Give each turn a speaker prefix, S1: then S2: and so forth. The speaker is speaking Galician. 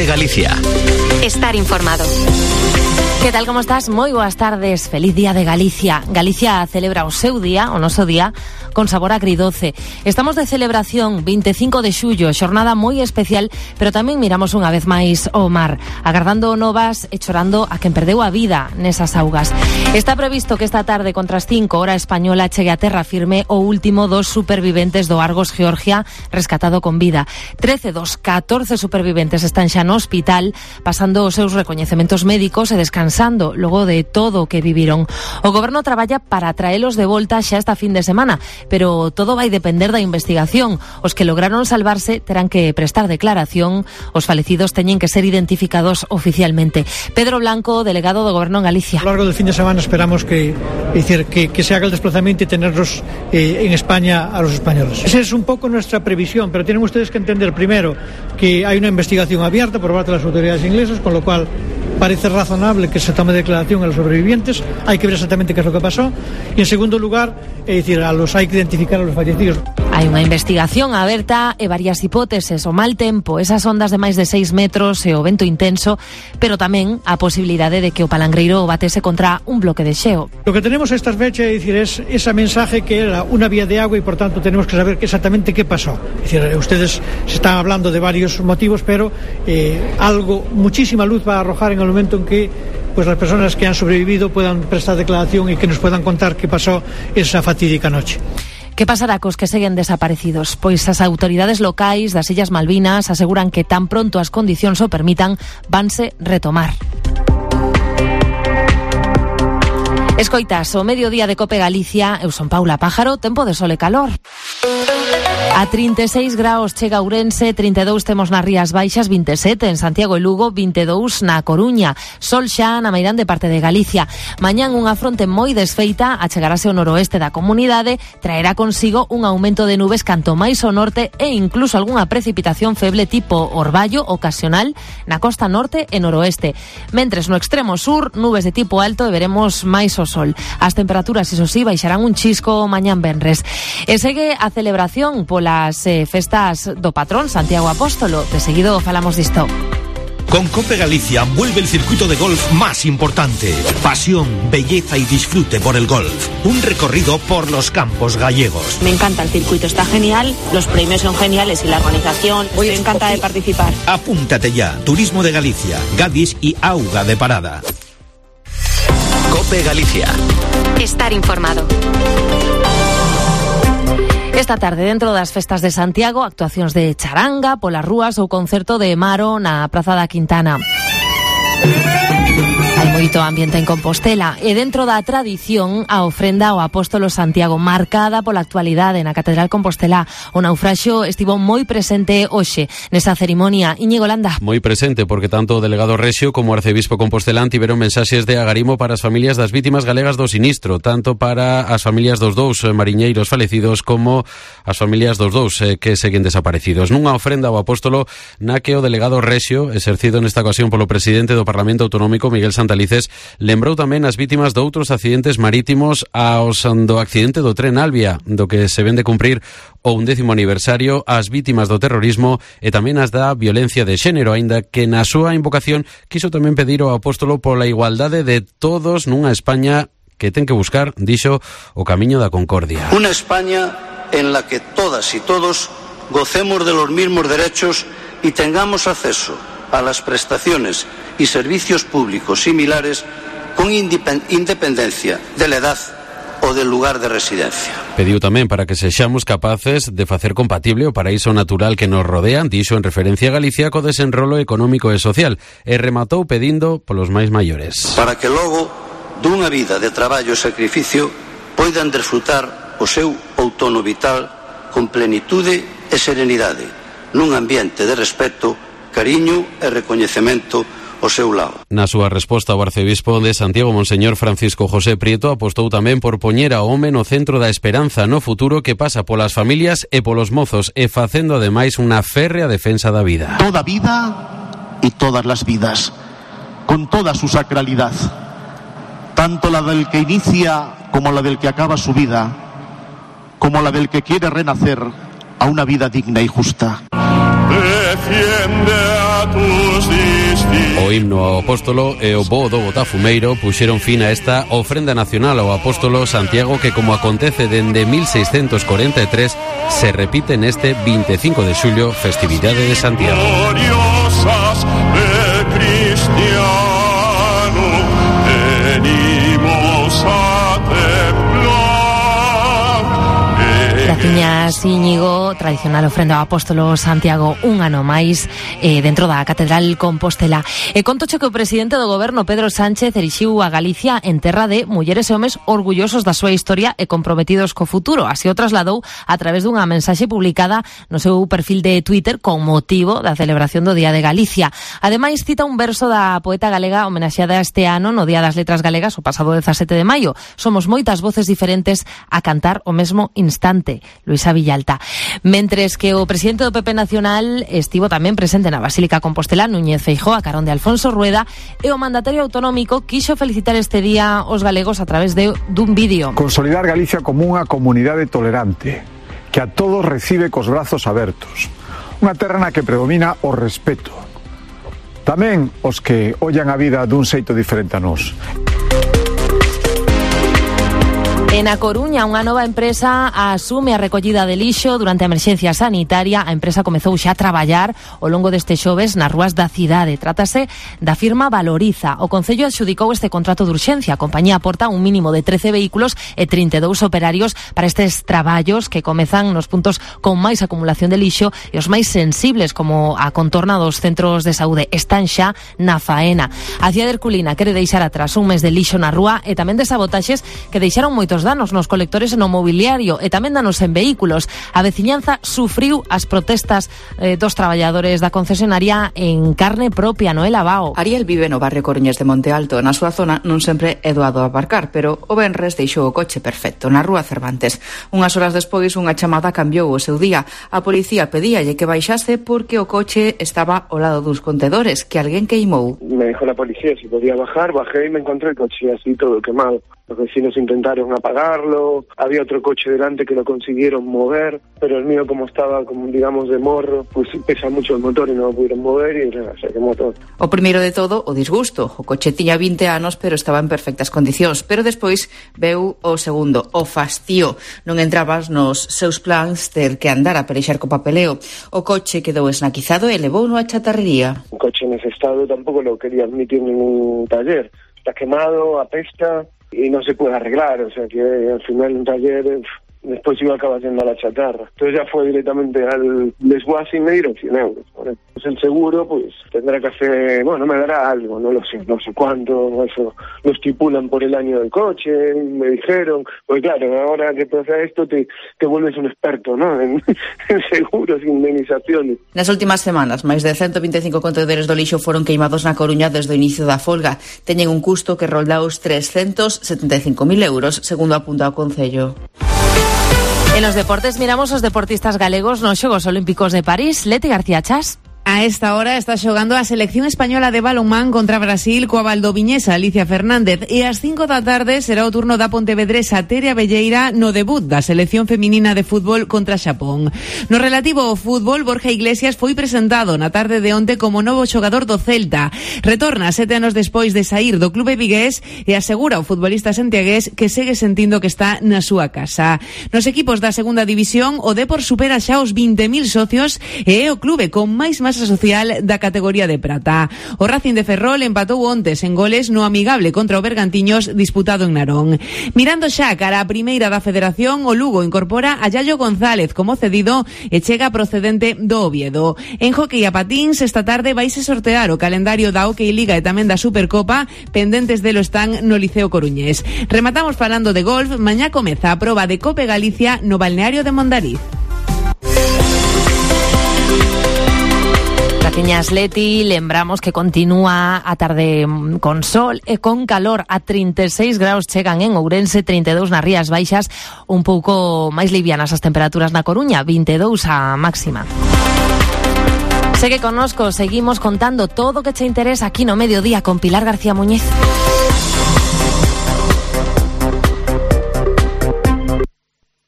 S1: Galicia.
S2: Estar informado.
S3: Que tal, como estás? Moi boas tardes, feliz día de Galicia. Galicia celebra o seu día, o noso día, con sabor agridoce. Estamos de celebración, 25 de xullo, xornada moi especial, pero tamén miramos unha vez máis o mar, agardando novas e chorando a quen perdeu a vida nesas augas. Está previsto que esta tarde, contra as 5 hora española, chegue a terra firme o último dos superviventes do Argos Georgia rescatado con vida. 13 dos 14 superviventes están xa no hospital, pasando os seus recoñecementos médicos e descansando logo de todo o que viviron. O goberno traballa para traelos de volta xa esta fin de semana, pero todo vai depender da investigación. Os que lograron salvarse terán que prestar declaración, os falecidos teñen que ser identificados oficialmente. Pedro Blanco, delegado do goberno en Galicia.
S4: A lo largo del fin de semana esperamos que se haga el desplazamiento y tenerlos en España a los españoles. Esa es un poco nuestra previsión, pero tienen ustedes que entender primero que hay una investigación abierta por parte de las autoridades inglesas, con lo cual parece razonable que se tome declaración a los sobrevivientes. Hay que ver exactamente qué es lo que pasó. Y en segundo lugar, hay que identificar a los fallecidos.
S3: Hai unha investigación aberta e varias hipóteses: o mal tempo, esas ondas de máis de 6 metros e o vento intenso, pero tamén a posibilidade de que o palangreiro batese contra un bloque de xeo.
S4: Lo que tenemos a estas fechas es ese mensaje que era una vía de agua y por tanto tenemos que saber exactamente qué pasó. Es decir, ustedes se están hablando de varios motivos, pero muchísima luz va a arrojar en el momento en que las personas que han sobrevivido puedan prestar declaración y que nos puedan contar qué pasó esa fatídica noche.
S3: Que pasará cos que seguen desaparecidos? Pois as autoridades locais das Illas Malvinas aseguran que tan pronto as condicións o permitan, vanse retomar. Escoitas, o mediodía de Cope Galicia, eu son Paula Pájaro, tempo de sol e calor. A 36 graus chega Ourense, 32 temos nas Rías Baixas, 27 en Santiago e Lugo, 22 na Coruña. Sol xa na meirande parte de Galicia. Mañán unha fronte moi desfeita achegarase ao noroeste da comunidade, traerá consigo un aumento de nubes canto máis ao norte e incluso algunha precipitación feble tipo orballo ocasional na costa norte e noroeste. Mentres no extremo sur, nubes de tipo alto e veremos máis o sol. As temperaturas, iso sí, baixarán un chisco mañán venres. E segue a celebración polas festas do patrón Santiago Apóstolo. De seguido falamos disto.
S1: Con Cope Galicia vuelve el circuito de golf más importante. Pasión, belleza y disfrute por el golf. Un recorrido por los campos gallegos.
S5: Me encanta el circuito, está genial, los premios son geniales y la organización, me encanta de participar.
S1: Apúntate ya. Turismo de Galicia, Gadis y Auga de Parada. Cope Galicia.
S2: Estar informado.
S3: Esta tarde, dentro das festas de Santiago, actuacións de charanga polas rúas ou concerto de Maro na Praza da Quintana. Hai moito ambiente en Compostela e dentro da tradición a ofrenda ao Apóstolo Santiago, marcada pola actualidade na Catedral Compostela. O naufraxio estivo moi presente hoxe nesa cerimonia. Íñigo Landa.
S6: Moi presente porque tanto o delegado Rexio como o arcebispo compostelán tiveron mensaxes de agarimo para as familias das vítimas galegas do sinistro, tanto para as familias dos dous mariñeiros falecidos como as familias dos dous que seguen desaparecidos. Nunha ofrenda ao Apóstolo na que o delegado Rexio, exercido nesta ocasión polo presidente do Parlamento Autonómico, Miguel Santalices, lembrou tamén as vítimas de outros accidentes marítimos aos do accidente do tren Albia, do que se ven de cumprir o 11º aniversario, as vítimas do terrorismo e tamén as da violencia de xénero, aínda que na súa invocación quiso tamén pedir ao Apóstolo pola igualdade de todos nunha España que ten que buscar, dixo, o camiño da concordia.
S7: Una España en la que todas y todos gocemos de los mismos derechos y tengamos acceso a las prestaciones y servicios públicos similares con independencia de la edad o del lugar de residencia.
S6: Pediu tamén para que sexamos capaces de facer compatible o paraíso natural que nos rodea, dixo en referencia a Galicia, co desenrolo económico e social, e rematou pedindo polos máis maiores.
S7: Para que logo dunha vida de traballo e sacrificio poidan desfrutar o seu outono vital con plenitude e serenidade, nun ambiente de respeto, cariño e recoñecemento ao seu lado.
S6: Na súa resposta, o arcebispo de Santiago, Monseñor Francisco José Prieto, apostou tamén por poñer ao home no centro da esperanza no futuro que pasa polas familias e polos mozos e facendo ademais unha férrea defensa da vida.
S8: Toda vida y todas las vidas, con toda su sacralidad, tanto la del que inicia como la del que acaba su vida, como la del que quiere renacer a una vida digna y justa.
S9: Defiende a
S6: O himno ao apóstolo e o voo do Botafumeiro puxeron fin a esta ofrenda nacional ao apóstolo Santiago, que, como acontece dende 1643, se repite neste 25 de xullo, festividade de Santiago.
S3: Graciñas, Íñigo. Tradicional ofrenda ao apóstolo Santiago un ano máis dentro da Catedral Compostela. E contoche que o presidente do goberno, Pedro Sánchez, erixiu a Galicia en terra de mulleres e homes orgullosos da súa historia e comprometidos co futuro. Así o trasladou a través dunha mensaxe publicada no seu perfil de Twitter con motivo da celebración do Día de Galicia. Ademais, cita un verso da poeta galega homenaxeada este ano no Día das Letras Galegas, o pasado 17 de maio. Somos moitas voces diferentes a cantar o mesmo instante. Luisa Villalta. Mentres que o presidente do PP Nacional estivo tamén presente na Basílica Compostela, Núñez Feijóo, a carón de Alfonso Rueda, e o mandatario autonómico quixo felicitar este día os galegos a través dun vídeo.
S9: Consolidar Galicia como unha comunidade tolerante, que a todos recibe cos brazos abertos. Unha terra na que predomina o respeto. Tamén os que ollan a vida dun xeito diferente a nós.
S3: En A Coruña, unha nova empresa asume a recollida de lixo durante a emerxencia sanitaria. A empresa comezou xa a traballar ao longo deste xoves nas rúas da cidade. Trátase da firma Valoriza. O Concello adxudicou este contrato de urxencia. A compañía aporta un mínimo de 13 vehículos e 32 operarios para estes traballos que comezan nos puntos con máis acumulación de lixo e os máis sensibles, como a contorna dos centros de saúde. Están xa na faena. A cidade herculina quere deixar atrás un mes de lixo na rúa e tamén de sabotaxes que deixaron moitos danos nos colectores e no mobiliario e tamén danos en vehículos. A veciñanza sufriu as protestas dos traballadores da concesionaria en carne propia, Noela Bao.
S10: Ariel vive no barrio Coruñés de Monte Alto. Na súa zona non sempre é doado aparcar, pero o venres deixou o coche perfecto na rúa Cervantes. Unhas horas despois, unha chamada cambiou o seu día. A policía pedíalle que baixase porque o coche estaba ao lado dos contedores que alguén queimou.
S11: Me dijo la policía si podía bajar, bajé y me encontré el coche así todo quemado. Los vecinos intentaron apagarlo, había otro coche delante que lo consiguieron mover, pero el mío, como estaba, como digamos, de morro, pues pesa mucho el motor y no lo pudieron mover y se quemó todo.
S10: O primeiro de todo, o disgusto. O coche tiña 20 anos, pero estaba en perfectas condicións. Pero despois veu o segundo, o fastío. Non entrabas nos seus plans ter que andar a pelexar co papeleo. O coche quedou esnaquizado e levouno a chatarrería.
S11: Un coche en ese estado tampoco lo quería admitir en un taller. Está quemado, apesta y no se puede arreglar, o sea que al final un taller después iba a acabar yendo a la chatarra. Entonces ya fue directamente al desguace y me dieron 100 euros. Pues el seguro pues tendrá que hacer, bueno, me dará algo, no lo sé, no sé cuánto, eso lo estipulan por el año del coche, me dijeron, pues claro, ahora que pasa esto te vuelves un experto, ¿no? En seguros e indemnizaciones.
S10: Nas últimas semanas, máis de 125 contenedores do lixo foron queimados na Coruña desde o inicio da folga. Teñen un custo que rolda os 375.000 euros, segundo apunta o Concello.
S3: En los deportes miramos os deportistas galegos nos Xogos Olímpicos de París. Leti García Chas.
S12: A esta hora está xogando a selección española de balonmán contra Brasil coa valdoviñesa Alicia Fernández e ás 5 da tarde será o turno da pontevedresa Tere Abelleira no debut da selección feminina de fútbol contra Xapón. No relativo ao fútbol, Borja Iglesias foi presentado na tarde de onte como novo xogador do Celta. Retorna 7 anos despois de saír do clube vigués e asegura o futbolista santiagués que segue sentindo que está na súa casa. Nos equipos da segunda división, o Depor supera xa os 20.000 socios e é o clube con máis masa social da categoría de prata. O Racing de Ferrol empatou ontes en goles no amigable contra o Bergantiños disputado en Narón. Mirando xa cara a primeira da Federación, o Lugo incorpora a Yayo González como cedido e chega procedente do Oviedo. En hockey a patíns, esta tarde vaise sortear o calendario da Hockey Liga e tamén da Supercopa, pendentes delo están no Liceo Coruñés. Rematamos falando de golf, mañá comeza a proba de Cope Galicia no balneario de Mondariz.
S3: Graciñas, Leti. Lembramos que continúa a tarde con sol e con calor. A 36 graus chegan en Ourense, 32 nas Rías Baixas, un pouco máis livianas as temperaturas na Coruña, 22 a máxima. Segue connosco, seguimos contando todo o que che interesa aquí no Mediodía con Pilar García Muñiz.